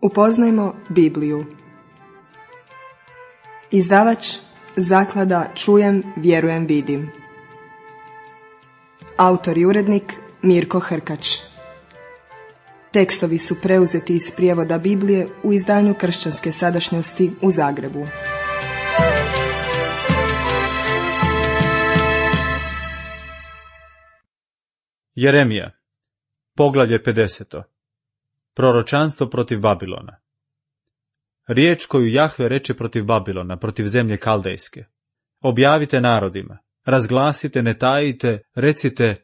Upoznajmo Bibliju. Izdavač Zaklada Čujem, vjerujem, vidim. Autor i urednik Mirko Hrkač. Tekstovi su preuzeti iz prijevoda Biblije u izdanju Kršćanske sadašnjosti u Zagrebu. Jeremija, poglavlje 50. Proročanstvo protiv Babilona. Riječ koju Jahve reče protiv Babilona, protiv zemlje Kaldejske. Objavite narodima, razglasite, ne tajite, recite: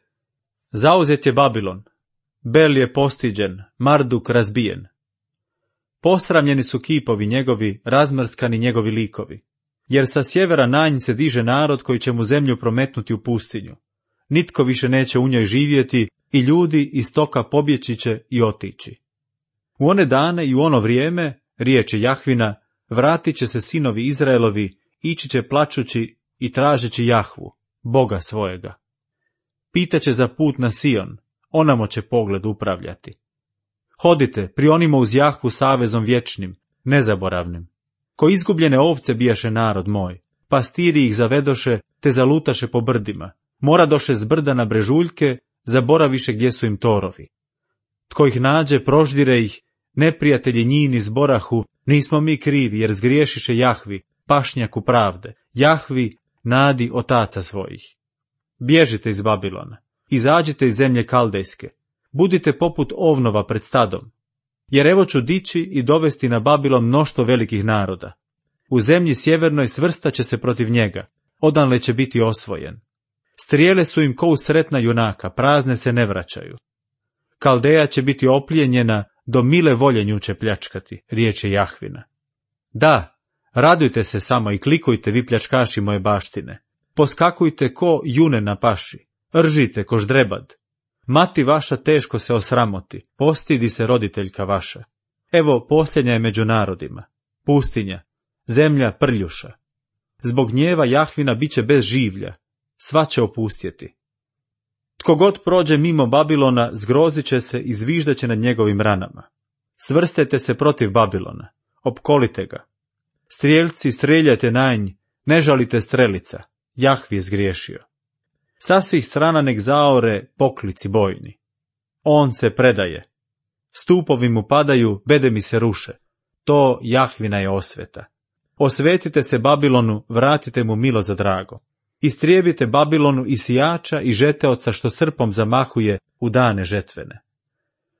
zauzet je Babilon, Bel je postiđen, Marduk razbijen. Posramljeni su kipovi njegovi, razmrskani njegovi likovi. Jer sa sjevera na nj se diže narod koji će mu zemlju prometnuti u pustinju. Nitko više neće u njoj živjeti i ljudi iz toka pobjeći će i otići. U one dane i u ono vrijeme, riječi Jahvina, vratit će se sinovi Izraelovi, ići će plačući i tražeći Jahvu, Boga svojega. Pitaće za put na Sion, onamo će pogled upravljati. Hodite, prionimo uz Jahvu savezom vječnim, nezaboravnim. Ko izgubljene ovce bijaše narod moj, pastiri ih zavedoše, te zalutaše po brdima. Moradoše s brda na brežuljke, zaboraviše gdje su im torovi. Tko ih nađe, proždire ih, neprijatelji njini zborahu, nismo mi krivi, jer zgriješiše Jahvi, pašnjaku pravde, Jahvi, nadi otaca svojih. Bježite iz Babilona, izađite iz zemlje Kaldejske, budite poput ovnova pred stadom, jer evo ću dići i dovesti na Babilon mnoštvo velikih naroda. U zemlji sjevernoj svrstat će se protiv njega, odanle će biti osvojen. Strijele su im ko usretna junaka, prazne se ne vraćaju. Kaldeja će biti oplijenjena, do mile volje nju će pljačkati, riječ je Jahvina. Da, radujte se samo i klikujte, vi pljačkaši moje baštine. Poskakujte ko june na paši, ržite ko ždrebad. Mati vaša teško se osramoti, postidi se roditeljka vaša. Evo, posljednja je među narodima, pustinja, zemlja prljuša. Zbog gnjeva Jahvina bit će bez življa, sva će opustjeti. Tko god prođe mimo Babilona, zgrozit će se i zviždat će nad njegovim ranama. Svrstete se protiv Babilona, opkolite ga. Strijelci, streljajte na nj, ne žalite strelica, Jahvi je zgriješio. Sa svih strana nek zaore poklici bojni. On se predaje. Stupovi mu padaju, bedemi se ruše. To Jahvina je osveta. Osvetite se Babilonu, vratite mu milo za drago. Istrijebite Babilonu i sijača i žeteoca što srpom zamahuje u dane žetvene.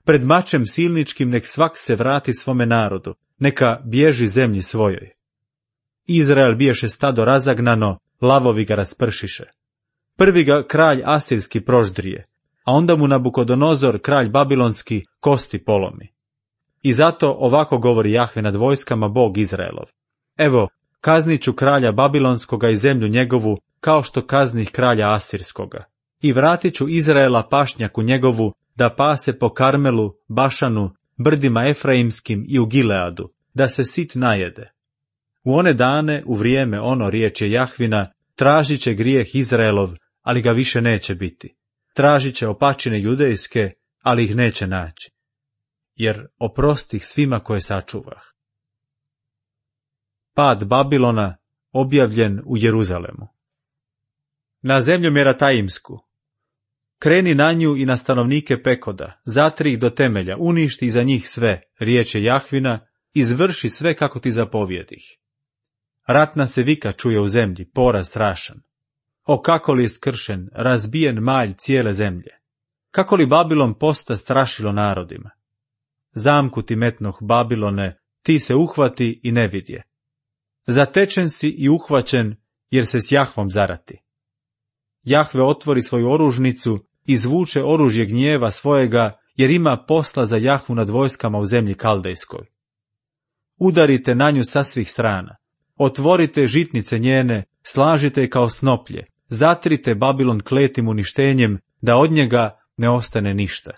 Pred mačem silničkim nek svak se vrati svome narodu, neka bježi zemlji svojoj. Izrael biješe stado razagnano, lavovi ga raspršiše. Prvi ga kralj asirski proždrije, a onda mu Nabukodonozor, kralj babilonski, kosti polomi. I zato ovako govori Jahve nad vojskama, Bog Izraelov. Evo, kaznit ću kralja babilonskoga i zemlju njegovu, kao što kaznih kralja asirskoga. I vratit ću Izraela pašnjaku njegovu, da pase po Karmelu, Bašanu, brdima Efraimskim i u Gileadu, da se sit najede. U one dane, u vrijeme ono, riječ je Jahvina, tražit će grijeh Izraelov, ali ga više neće biti. Tražit će opačine judejske, ali ih neće naći. Jer oprostih svima koje sačuvah. Pad Babilona objavljen u Jeruzalemu. Na zemlju Merataimsku. Kreni na nju i na stanovnike Pekoda, zatri ih do temelja, uništi iza njih sve, riječ je Jahvina, izvrši sve kako ti zapovjedih. Ratna se vika čuje u zemlji, poraz strašan. O kako li je skršen, razbijen malj cijele zemlje. Kako li Babilon posta strašilo narodima. Zamku ti metnoh, Babilone, ti se uhvati i ne vidje. Zatečen si i uhvaćen, jer se s Jahvom zarati. Jahve otvori svoju oružnicu, izvuče oružje gnjeva svojega, jer ima posla za Jahvu nad vojskama u zemlji Kaldejskoj. Udarite na nju sa svih strana, otvorite žitnice njene, slažite je kao snoplje, zatrite Babilon kletim uništenjem, da od njega ne ostane ništa.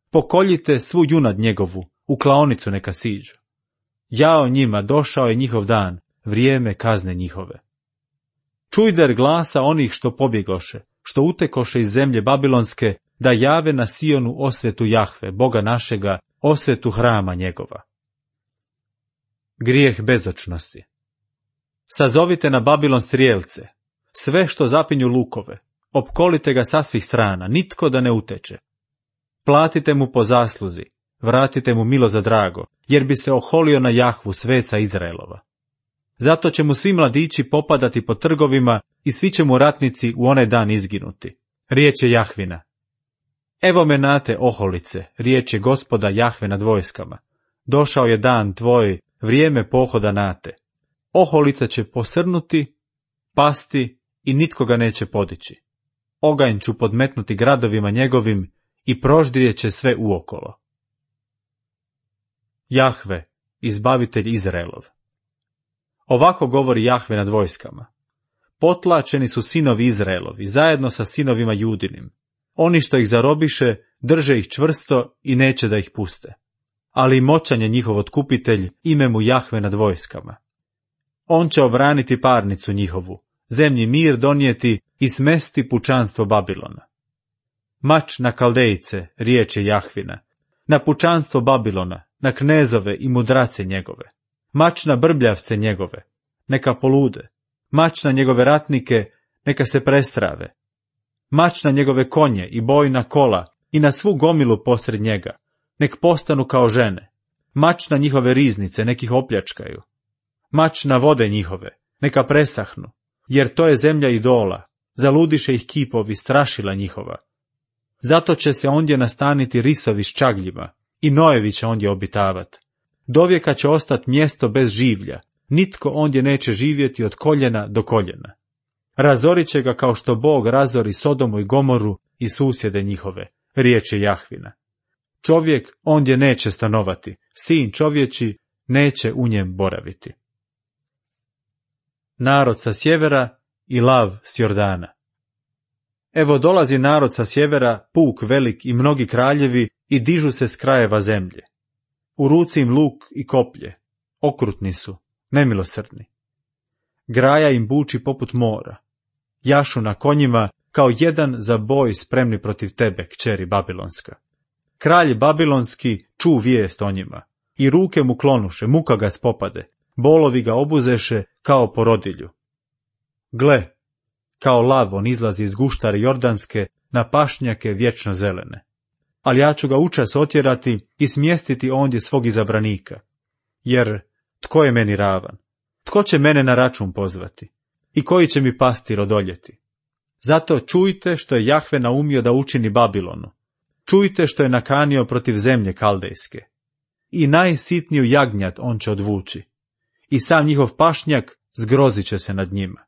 Pokoljite svu junad njegovu, u klaonicu neka siđu. Jao njima, došao je njihov dan, vrijeme kazne njihove. Čujder glasa onih što pobjegoše, što utekoše iz zemlje babilonske, da jave na Sionu osvetu Jahve, Boga našega, osvetu hrama njegova. Grijeh bezočnosti. Sazovite na Babilon strijelce, sve što zapinju lukove, opkolite ga sa svih strana, nitko da ne uteče. Platite mu po zasluzi, vratite mu milo za drago, jer bi se oholio na Jahvu, sveca Izraelova. Zato će mu svi mladići popadati po trgovima i svi će mu ratnici u onaj dan izginuti. Riječ je Jahvina. Evo me nate, oholice, riječ je Gospoda Jahve nad vojskama. Došao je dan tvoj, vrijeme pohoda nate. Oholica će posrnuti, pasti i nitko ga neće podići. Oganj ću podmetnuti gradovima njegovim i proždrijet će sve uokolo. Jahve, izbavitelj Izraelov. Ovako govori Jahve nad vojskama. Potlačeni su sinovi Izraelovi, zajedno sa sinovima Judinim. Oni što ih zarobiše, drže ih čvrsto i neće da ih puste. Ali moćan je njihov otkupitelj, ime mu Jahve nad vojskama. On će obraniti parnicu njihovu, zemlji mir donijeti i smesti pučanstvo Babilona. Mač na Kaldejce, riječ je Jahvina, na pučanstvo Babilona, na knezove i mudrace njegove. Mač na brbljavce njegove, neka polude. Mač na njegove ratnike, neka se prestrave. Mač na njegove konje i bojna kola i na svu gomilu posred njega, nek postanu kao žene. Mač na njihove riznice, nek ih opljačkaju. Mač na vode njihove, neka presahnu, jer to je zemlja idola, zaludiše ih kipovi, strašila njihova. Zato će se ondje nastaniti risovi s čagljima i nojevi će ondje obitavat. Dovijeka će ostati mjesto bez življa, nitko ondje neće živjeti od koljena do koljena. Razorit će ga kao što Bog razori Sodomu i Gomoru i susjede njihove, riječ je Jahvina. Čovjek ondje neće stanovati, sin čovječi neće u njem boraviti. Narod sa sjevera i lav s Jordana. Evo dolazi narod sa sjevera, puk velik i mnogi kraljevi i dižu se s krajeva zemlje. U ruci im luk i koplje, okrutni su, nemilosrdni. Graja im buči poput mora, jašu na konjima kao jedan za boj spremni protiv tebe, kćeri Babilonska. Kralj Babilonski ču vijest o njima, i ruke mu klonuše, muka ga spopade, bolovi ga obuzeše kao porodilju. Gle, kao lav on izlazi iz guštare Jordanske na pašnjake vječno zelene. Ali ja ću ga učas otjerati i smjestiti ondje svog izabranika. Jer tko je meni ravan? Tko će mene na račun pozvati? I koji će mi pastir odoljeti? Zato čujte što je Jahve naumio da učini Babilonu. Čujte što je nakanio protiv zemlje Kaldejske. I najsitniju jagnjat on će odvući. I sam njihov pašnjak zgrozit će se nad njima.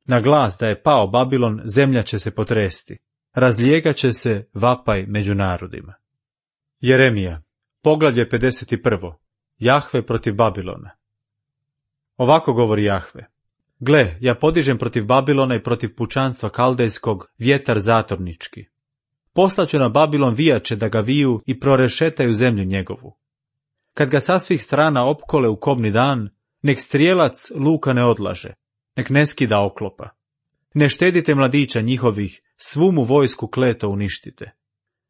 Na glas da je pao Babilon, zemlja će se potresti. Razlijegat će se vapaj među narodima. Jeremija, poglavlje 51. Jahve protiv Babilona. Ovako govori Jahve. Gle, ja podižem protiv Babilona i protiv pučanstva Kaldejskog vjetar zatornički. Poslaću na Babilon vijače da ga viju i prorešetaju zemlju njegovu. Kad ga sa svih strana opkole u kobni dan, nek strijelac luka ne odlaže, nek ne skida oklopa. Ne štedite mladića njihovih, svu mu vojsku kleto uništite.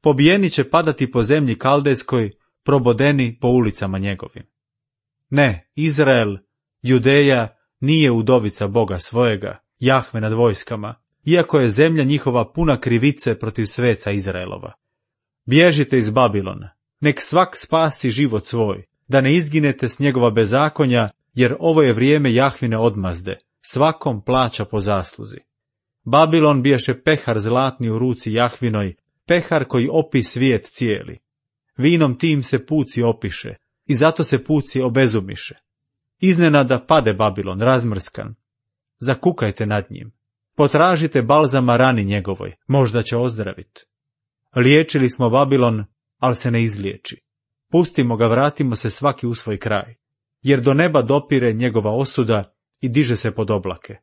Pobijeni će padati po zemlji Kaldejskoj, probodeni po ulicama njegovim. Ne, Izrael, Judeja, nije udovica Boga svojega, Jahve nad vojskama, iako je zemlja njihova puna krivice protiv sveca Izraelova. Bježite iz Babilona, nek svak spasi život svoj, da ne izginete s njegova bezakonja, jer ovo je vrijeme Jahvine odmazde, svakom plaća po zasluzi. Babilon bijaše pehar zlatni u ruci Jahvinoj, pehar koji opi svijet cijeli. Vinom tim se puci opiše, i zato se puci obezumiše. Iznenada pade Babilon, razmrskan. Zakukajte nad njim. Potražite balzama rani njegovoj, možda će ozdraviti. Liječili smo Babilon, ali se ne izliječi. Pustimo ga, vratimo se svaki u svoj kraj, jer do neba dopire njegova osuda i diže se pod oblake.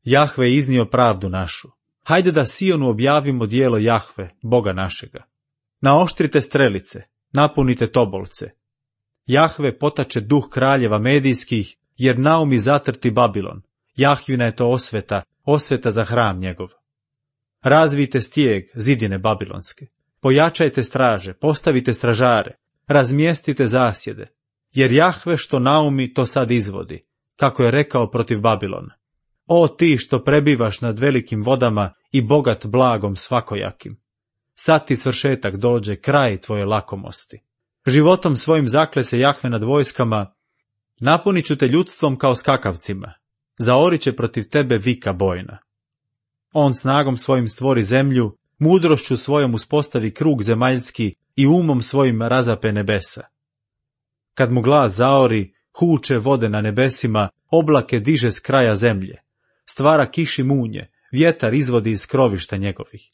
Jahve je iznio pravdu našu. Hajde da Sionu objavimo dijelo Jahve, Boga našega. Naoštrite strelice, napunite tobolce. Jahve potače duh kraljeva medijskih, jer naumi zatrti Babilon. Jahvina je to osveta, osveta za hram njegov. Razvijte stijeg, zidine babilonske. Pojačajte straže, postavite stražare, razmjestite zasjede. jer Jahve što naumi to sad izvodi, kako je rekao protiv Babilona. O ti što prebivaš nad velikim vodama i bogat blagom svakojakim. Sad ti svršetak dođe, kraj tvoje lakomosti. Životom svojim zakle se Jahve nad vojskama, napunit ću te ljudstvom kao skakavcima, zaorit će protiv tebe vika bojna. On snagom svojim stvori zemlju, mudrošću svojom uspostavi krug zemaljski i umom svojim razape nebesa. Kad mu glas zaori, huče vode na nebesima, oblake diže s kraja zemlje, stvara kiši munje, vjetar izvodi iz krovišta njegovih.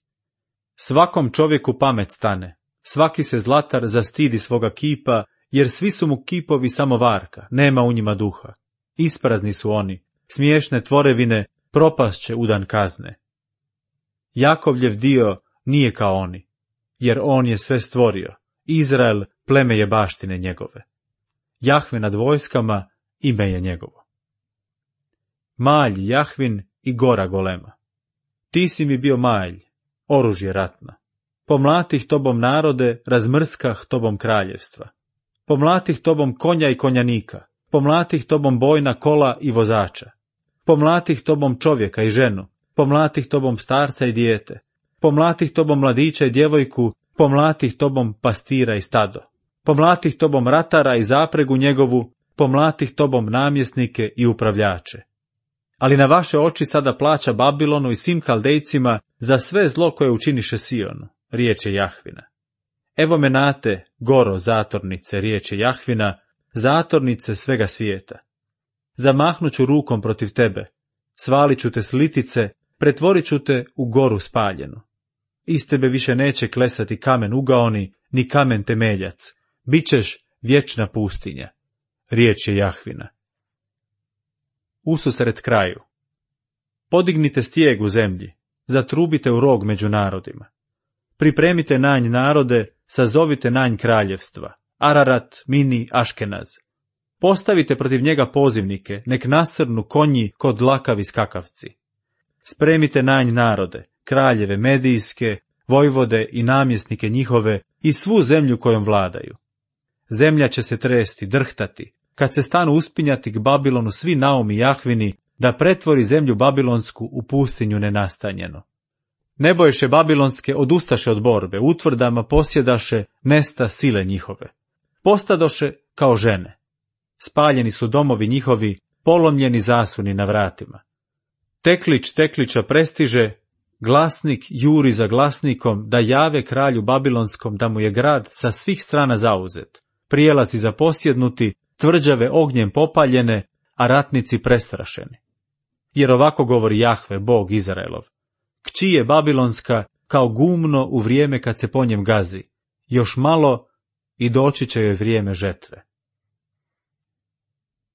Svakom čovjeku pamet stane, svaki se zlatar zastidi svoga kipa, jer svi su mu kipovi samo varka, nema u njima duha. Isprazni su oni, smiješne tvorevine, propast u dan kazne. Jakovljev dio nije kao oni, jer on je sve stvorio, Izrael pleme je baštine njegove. Jahve nad vojskama, ime je njegovo. Malj Jahvin i gora golema. Ti si mi bio malj, oružje ratna. Pomlatih tobom narode, razmrskah tobom kraljevstva. Pomlatih tobom konja i konjanika, pomlatih tobom bojna kola i vozača. Pomlatih tobom čovjeka i ženu, pomlatih tobom starca i dijete, pomlatih tobom mladića i djevojku, pomlatih tobom pastira i stado. Pomlatih tobom ratara i zapregu njegovu, pomlatih tobom namjesnike i upravljače. Ali na vaše oči sada plaća Babilonu i svim Kaldejcima za sve zlo koje učiniše Sionu, riječ je Jahvina. Evo me nate, goro zatornice, riječ je Jahvina, zatornice svega svijeta. Zamahnut ću rukom protiv tebe, svalit ću te s litice, pretvorit ću te u goru spaljenu. Iz tebe više neće klesati kamen ugaoni, ni kamen temeljac, bićeš vječna pustinja, riječ je Jahvina. Ususret kraju. Podignite stijeg u zemlji, zatrubite u rog među narodima. Pripremite nanj narode, sazovite nanj kraljevstva, Ararat, Mini, Aškenaz. Postavite protiv njega pozivnike, nek nasrnu konji kod dlakavi skakavci. Spremite nanj narode, kraljeve medijske, vojvode i namjesnike njihove i svu zemlju kojom vladaju. Zemlja će se tresti, drhtati, kad se stanu uspinjati k Babilonu svi naumi Jahvini, da pretvori zemlju babilonsku u pustinju nenastanjenu. Neboješe babilonske odustaše od borbe, utvrdama posjedaše, nesta sile njihove. Postadoše kao žene. Spaljeni su domovi njihovi, polomljeni zasuni na vratima. Teklić tekliča prestiže, glasnik juri za glasnikom da jave kralju babilonskom da mu je grad sa svih strana zauzet, prijelazi zaposjednuti, tvrđave ognjem popaljene, a ratnici prestrašeni. Jer ovako govori Jahve, Bog Izraelov. Kći je babilonska kao gumno u vrijeme kad se po njem gazi, još malo i doći će joj vrijeme žetve.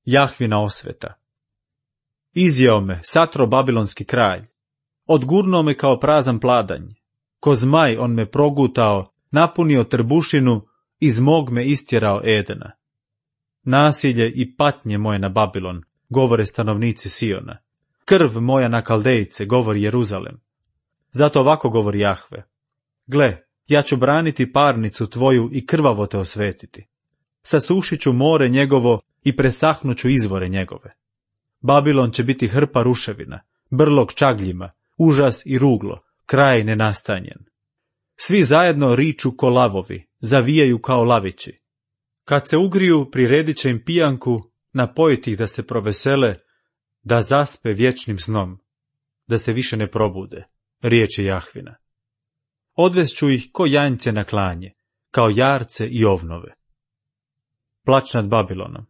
Jahvina osveta. Izjeo me, satro babilonski kralj, odgurnuo me kao prazan pladanj, ko zmaj on me progutao, napunio trbušinu, iz mog me istjerao Edena. Nasilje i patnje moje na Babilon, govore stanovnici Siona. Krv moja na Kaldejce, govori Jeruzalem. Zato ovako govori Jahve. Gle, ja ću braniti parnicu tvoju i krvavo te osvetiti. Sasušit ću more njegovo i presahnuću izvore njegove. Babilon će biti hrpa ruševina, brlog čagljima, užas i ruglo, kraj nenastanjen. Svi zajedno riču ko lavovi, zavijaju kao lavići. Kad se ugriju, priredit će im pijanku, napojiti ih da se provesele, da zaspe vječnim snom, da se više ne probude, riječ je Jahvina. Odvest ću ih ko janjce na klanje, kao jarce i ovnove. Plać nad Babilonom.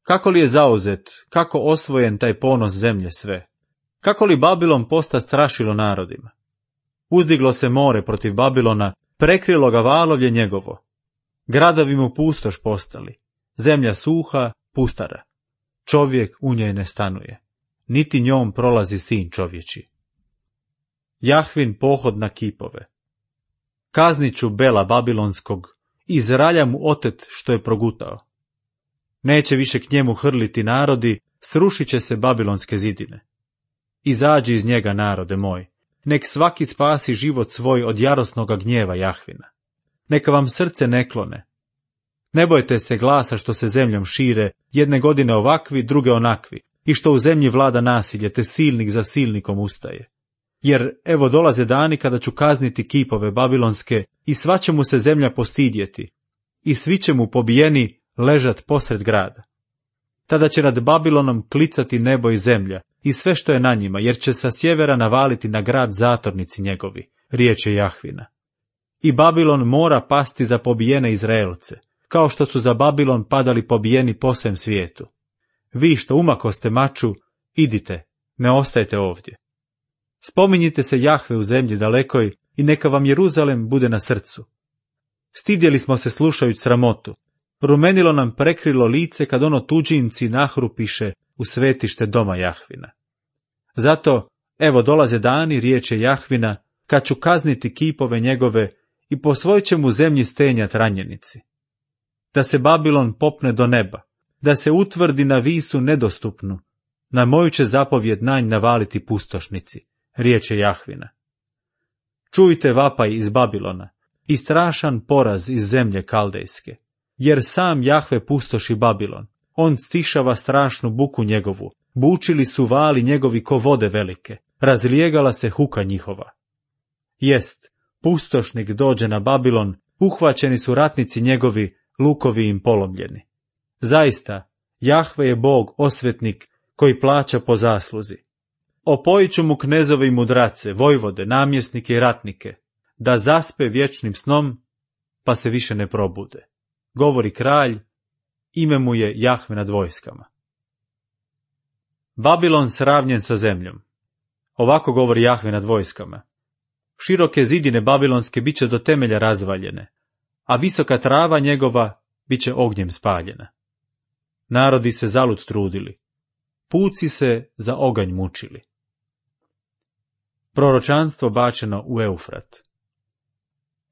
Kako li je zauzet, kako osvojen taj ponos zemlje sve? Kako li Babilon posta strašilo narodima? Uzdiglo se more protiv Babilona, prekrilo ga valovlje njegovo. Gradovi mu pustoš postali, zemlja suha, pustara. Čovjek u njej ne stanuje, niti njom prolazi sin čovječi. Jahvin pohod na kipove. Kaznit ću Bela babilonskog, iz ralja mu otet što je progutao. Neće više k njemu hrliti narodi, srušit će se babilonske zidine. Izađi iz njega, narode moj, nek svaki spasi život svoj od jarosnoga gnjeva Jahvina. Neka vam srce ne klone. Ne bojte se glasa što se zemljom šire, jedne godine ovakvi, druge onakvi, i što u zemlji vlada nasilje, te silnik za silnikom ustaje. Jer evo dolaze dani kada ću kazniti kipove babilonske, i sva će mu se zemlja postidjeti, i svi će mu pobijeni ležat posred grada. Tada će nad Babilonom klicati nebo i zemlja, i sve što je na njima, jer će sa sjevera navaliti na grad zatornici njegovi, riječ je Jahvina. I Babilon mora pasti za pobijene Izraelce, kao što su za Babilon padali pobijeni po svem svijetu. Vi što umakoste maču, idite, ne ostajte ovdje. Spominjite se Jahve u zemlji dalekoj i neka vam Jeruzalem bude na srcu. Stidjeli smo se slušajući sramotu. Rumenilo nam prekrilo lice kad ono tuđinci nahrupiše u svetište doma Jahvina. Zato, evo dolaze dani, riječe Jahvina, kad ću kazniti kipove njegove i po svoj će mu zemlji stenjat ranjenici. Da se Babilon popne do neba, da se utvrdi na visu nedostupnu, na moju će zapovjed nanj navaliti pustošnici, riječe Jahvina. Čujte vapaj iz Babilona i strašan poraz iz zemlje kaldejske, jer sam Jahve pustoši Babilon, on stišava strašnu buku njegovu, bučili su vali njegovi ko vode velike, razlijegala se huka njihova. Jest, pustošnik dođe na Babilon, uhvaćeni su ratnici njegovi, lukovi im polomljeni. Zaista, Jahve je Bog osvetnik koji plaća po zasluzi. Opojit ću mu knezove i mudrace, vojvode, namjesnike i ratnike, da zaspe vječnim snom, pa se više ne probude. Govori kralj, ime mu je Jahve nad vojskama. Babilon sravnjen sa zemljom. Ovako govori Jahve nad vojskama. Široke zidine babilonske bit će do temelja razvaljene, a visoka trava njegova bit će ognjem spaljena. Narodi se zalud trudili, puci se za oganj mučili. Proročanstvo bačeno u Eufrat.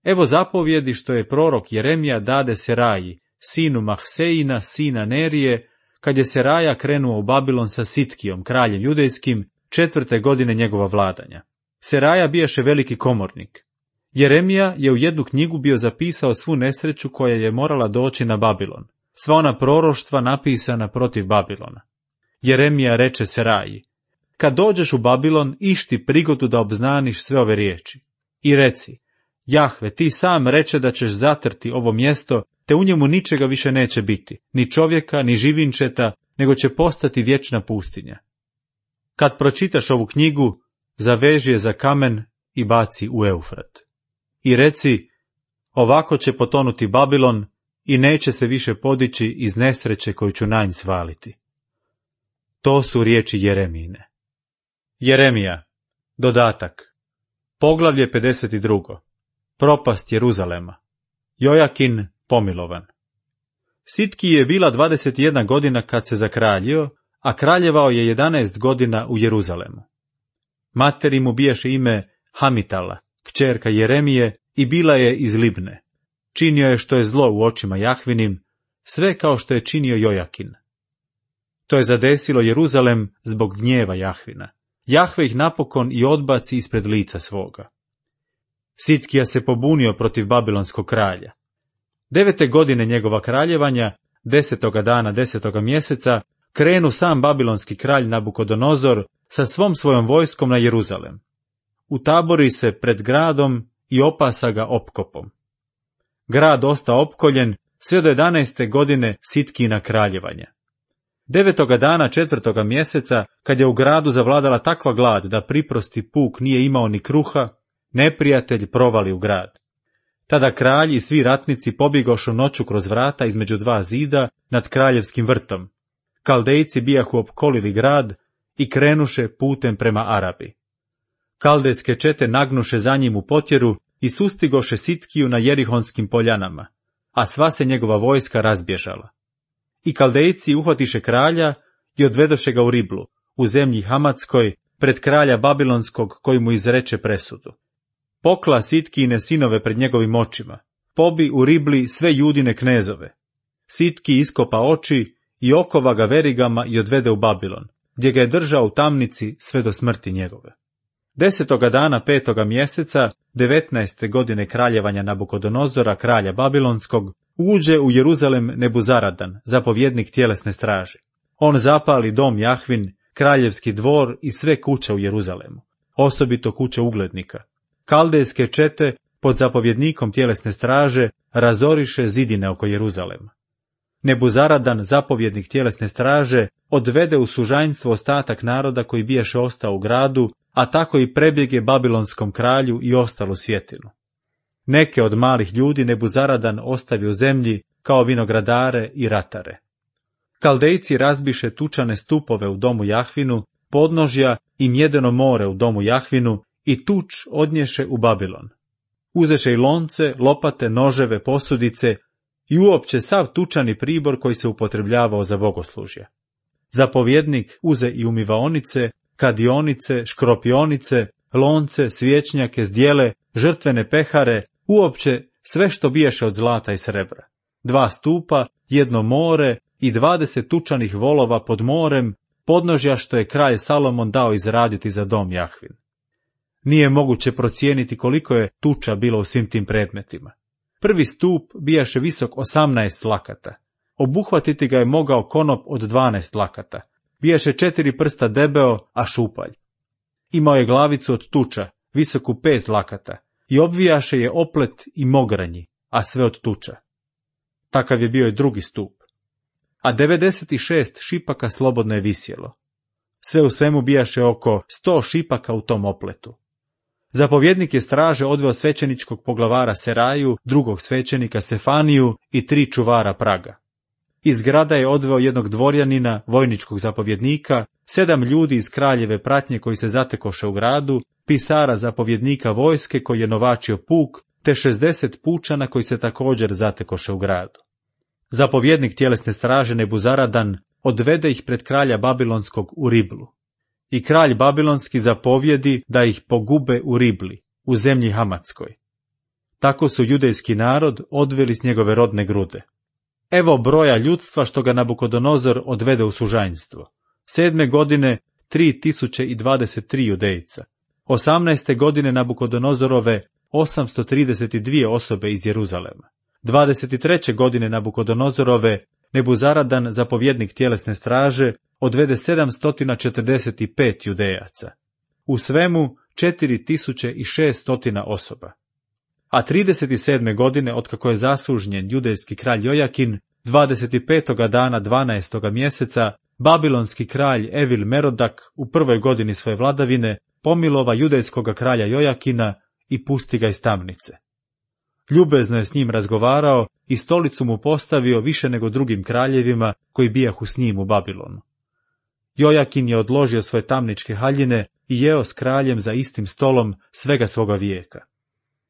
Evo zapovjedi što je prorok Jeremija dade Seraji, sinu Mahseina, sina Nerije, kad je Seraja krenuo u Babilon sa Sitkijom, kraljem judejskim, 4. godine njegova vladanja. Seraja bijaše veliki komornik. Jeremija je u jednu knjigu bio zapisao svu nesreću koja je morala doći na Babilon, sva ona proroštva napisana protiv Babilona. Jeremija reče Seraji, kad dođeš u Babilon, išti prigodu da obznaniš sve ove riječi. I reci, Jahve, ti sam reče da ćeš zatrti ovo mjesto, te u njemu ničega više neće biti, ni čovjeka, ni živinčeta, nego će postati vječna pustinja. Kad pročitaš ovu knjigu, zaveži je za kamen i baci u Eufrat. I reci, ovako će potonuti Babilon i neće se više podići iz nesreće koju ću na nj svaliti. To su riječi Jeremijine. Jeremija, dodatak, poglavlje 52. Propast Jeruzalema. Jojakin pomilovan. Sitki je bila 21 godina kad se zakraljio, a kraljevao je 11 godina u Jeruzalemu. Materi mu bijaše ime Hamitala, kćerka Jeremije, i bila je iz Libne. Činio je što je zlo u očima Jahvinim, sve kao što je činio Jojakin. To je zadesilo Jeruzalem zbog gnjeva Jahvina. Jahve ih napokon i odbaci ispred lica svoga. Sitkija se pobunio protiv babilonskog kralja. 9. godine njegova kraljevanja, 10. dana 10. mjeseca, krenu sam babilonski kralj Nabukodonozor sa svom svojom vojskom na Jeruzalem. Utabori se pred gradom i opasa ga opkopom. Grad ostao opkoljen sve do 11. godine Sitkina kraljevanja. 9. dana 4. mjeseca, kad je u gradu zavladala takva glad da priprosti puk nije imao ni kruha, neprijatelj provali u grad. Tada kralj i svi ratnici pobjegošu noću kroz vrata između dva zida nad kraljevskim vrtom. Kaldejci bijahu opkolili grad i krenuše putem prema Arabi. Kaldejske čete nagnuše za njim u potjeru i sustigoše Sitkiju na Jerihonskim poljanama, a sva se njegova vojska razbježala. I Kaldejci uhvatiše kralja i odvedoše ga u Riblu, u zemlji Hamatskoj, pred kralja Babilonskog koji mu izreče presudu. Pokla Sitkijine sinove pred njegovim očima, pobi u Ribli sve Judine knezove. Sitki iskopa oči i okova ga verigama i odvede u Babilon, gdje ga je držao u tamnici sve do smrti njegove. 10. dana 5. mjeseca, 19. godine kraljevanja Nabukodonozora, kralja Babilonskog, Uđe u Jeruzalem Nebuzaradan, zapovjednik tjelesne straže. On zapali dom Jahvin, kraljevski dvor i sve kuće u Jeruzalemu, osobito kuće uglednika. Kaldejske čete pod zapovjednikom tjelesne straže razoriše zidine oko Jeruzalema. Nebuzaradan, zapovjednik tjelesne straže, odvede u sužanjstvo ostatak naroda koji biješe ostao u gradu, a tako i prebjege babilonskom kralju i ostalu svjetinu. Neke od malih ljudi Nebuzaradan ostavi u zemlji kao vinogradare i ratare. Kaldejci razbiše tučane stupove u domu Jahvinu, podnožja i mjedeno more u domu Jahvinu i tuč odnješe u Babilon. Uzeše i lonce, lopate, noževe, posudice i uopće sav tučani pribor koji se upotrebljavao za bogoslužje. Zapovjednik uze i umivaonice, kadionice, škropionice, lonce, svječnjake, zdjele, žrtvene pehare, uopće sve što biješe od zlata i srebra. 2 stupa, 1 more i 20 tučanih volova pod morem, podnožja što je kralj Salomon dao izraditi za dom Jahvin. Nije moguće procijeniti koliko je tuča bilo u svim tim predmetima. Prvi stup bijaše visok 18 lakata. Obuhvatiti ga je mogao konop od 12 lakata. Bijaše 4 prsta debeo, a šupalj. Imao je glavicu od tuča, visoku 5 lakata, i obvijaše je oplet i mogranji, a sve od tuča. Takav je bio i drugi stup. A 96 šipaka slobodno je visjelo. Sve u svemu bijaše oko 100 šipaka u tom opletu. Zapovjednik je straže odveo svećeničkog poglavara Seraju, drugog svećenika Sefaniju i 3 čuvara praga. Iz grada je odveo jednog dvorjanina, vojničkog zapovjednika, 7 ljudi iz kraljeve pratnje koji se zatekoše u gradu, pisara zapovjednika vojske koji je novačio puk, te 60 pučana koji se također zatekoše u gradu. Zapovjednik tjelesne straže Nebuzaradan odvede ih pred kralja Babilonskog u Riblu. I kralj Babilonski zapovjedi da ih pogube u Ribli, u zemlji Hamatskoj. Tako su judejski narod odveli s njegove rodne grude. Evo broja ljudstva što ga Nabukodonozor odvede u sužanjstvo. 7. godine 3023 judejca. 18. godine Nabukodonozorove 832 osobe iz Jeruzalema. 23. godine Nabukodonozorove Nebuzaradan, zapovjednik tjelesne straže, odvede 745 judejaca. U svemu 4600 osoba. A 37. godine, otkako je zasužnjen judejski kralj Jojakin, 25. dana 12. mjeseca, babilonski kralj Evil Merodak u prvoj godini svoje vladavine pomilova judejskog kralja Jojakina i pusti ga iz tamnice. Ljubezno je s njim razgovarao i stolicu mu postavio više nego drugim kraljevima koji bijahu s njim u Babilonu. Jojakin je odložio svoje tamničke haljine i jeo s kraljem za istim stolom svega svoga vijeka.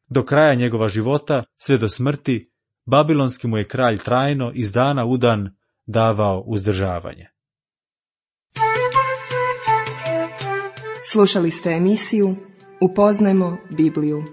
Do kraja njegova života, sve do smrti, babilonski mu je kralj trajno iz dana u dan davao uzdržavanje. Slušali ste emisiju Upoznajmo Bibliju.